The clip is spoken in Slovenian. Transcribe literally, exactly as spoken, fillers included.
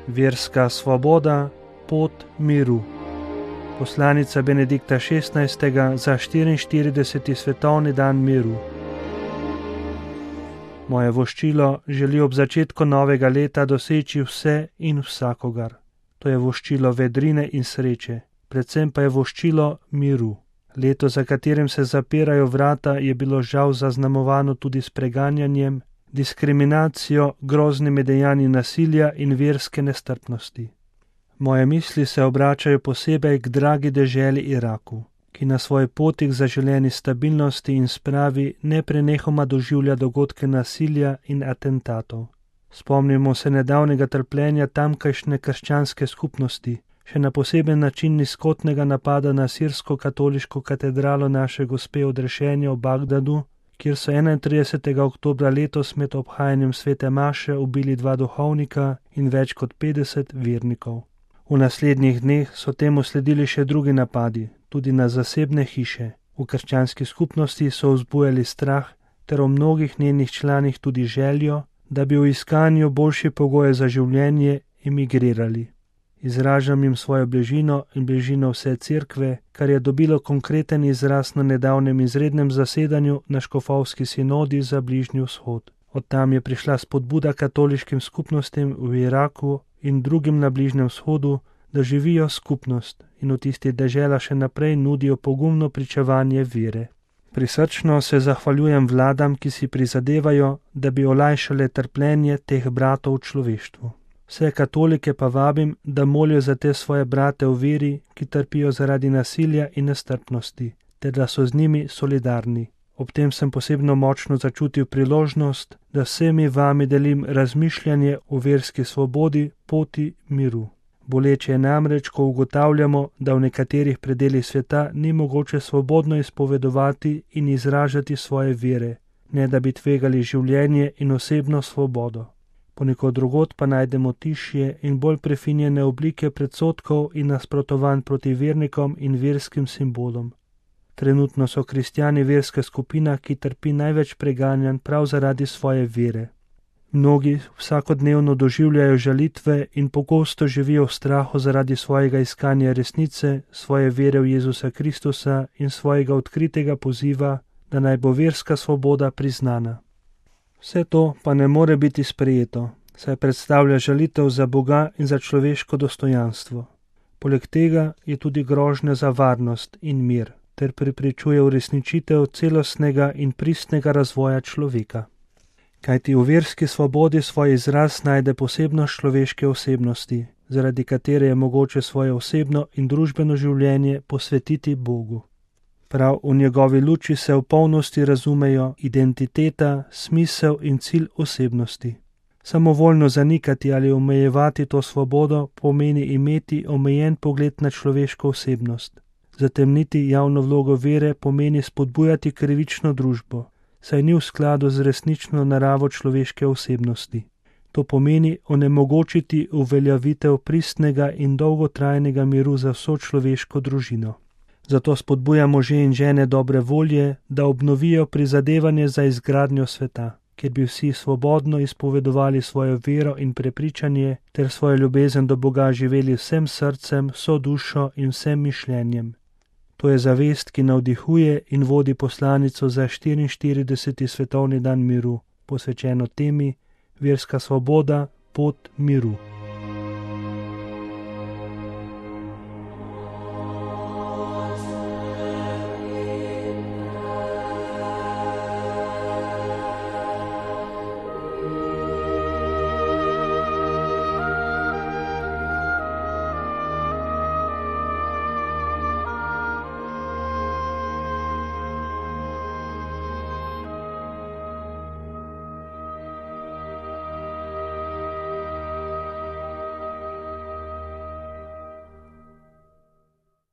Verska svoboda, pot miru. Poslanica Benedikta šestnajstega za štiriinštirideseti svetovni dan miru. Moje voščilo želi ob začetku novega leta doseči vse in vsakogar. To je voščilo vedrine in sreče, predvsem pa je voščilo miru. Leto, za katerim se zapirajo vrata, je bilo žal zaznamovano tudi s preganjanjem, diskriminacijo, groznimi dejanji nasilja in verske nestrpnosti. Moje misli se obračajo posebej k dragi deželi Iraku, ki na svoji poti k zaželeni stabilnosti in spravi neprenehoma doživlja dogodke nasilja in atentatov. Spomnimo se nedavnega trpljenja tamkajšnje krščanske skupnosti, še na poseben način nizkotnega napada na sirsko-katoliško katedralo naše Gospe odrešenja v Bagdadu, kjer so enaintridesetega oktobra letos med obhajanjem svete maše ubili dva duhovnika in več kot petdeset vernikov. V naslednjih dneh so temu sledili še drugi napadi, tudi na zasebne hiše. V krščanski skupnosti so vzbujali strah ter v mnogih njenih članih tudi željo, da bi v iskanju boljše pogoje za življenje emigrirali. Izražam jim svojo bližino in bližino vse cerkve, kar je dobilo konkreten izraz na nedavnem izrednem zasedanju na škofovski sinodi za Bližnji vzhod. Od tam je prišla spodbuda katoliškim skupnostim v Iraku in drugim na Bližnjem vzhodu, da živijo skupnost in v tistih deželah še naprej nudijo pogumno pričevanje vere. Prisrčno se zahvaljujem vladam, ki si prizadevajo, da bi olajšale trpljenje teh bratov v človeštvu. Vse katolike pa vabim, da molijo za te svoje brate v veri, ki trpijo zaradi nasilja in nestrpnosti, ter da so z njimi solidarni. Ob tem sem posebno močno začutil priložnost, da vsemi vami delim razmišljanje o verski svobodi, poti miru. Boleče je namreč, ko ugotavljamo, da v nekaterih predelih sveta ni mogoče svobodno izpovedovati in izražati svoje vere, ne da bi tvegali življenje in osebno svobodo. Ponekod drugod pa najdemo tišje in bolj prefinjene oblike predsodkov in nasprotovanj proti vernikom in verskim simbolom. Trenutno so kristjani verska skupina, ki trpi največ preganjanj prav zaradi svoje vere. Mnogi vsakodnevno doživljajo žalitve in pogosto živijo v strahu zaradi svojega iskanja resnice, svoje vere v Jezusa Kristusa in svojega odkritega poziva, da naj bo verska svoboda priznana. Vse to pa ne more biti sprejeto, saj predstavlja žalitev za Boga in za človeško dostojanstvo. Poleg tega je tudi grožnja za varnost in mir, ter preprečuje uresničitev celostnega in pristnega razvoja človeka. Kajti v verski svobodi svoj izraz najde posebnost človeške osebnosti, zaradi katere je mogoče svoje osebno in družbeno življenje posvetiti Bogu. Prav v njegovi luči se v polnosti razumejo identiteta, smisel in cilj osebnosti. Samovoljno zanikati ali omejevati to svobodo pomeni imeti omejen pogled na človeško osebnost. Zatemniti javno vlogo vere pomeni spodbujati krivično družbo, saj ni v skladu z resnično naravo človeške osebnosti. To pomeni onemogočiti uveljavitev pristnega in dolgotrajnega miru za vso človeško družino. Zato spodbujamo može in žene dobre volje, da obnovijo prizadevanje za izgradnjo sveta, kjer bi vsi svobodno izpovedovali svojo vero in prepričanje ter svojo ljubezen do Boga živeli vsem srcem, vso dušo in vsem mišljenjem. To je zavest, ki navdihuje in vodi poslanico za štiriinštirideseti svetovni dan miru, posvečeno temi Verska svoboda, pot miru.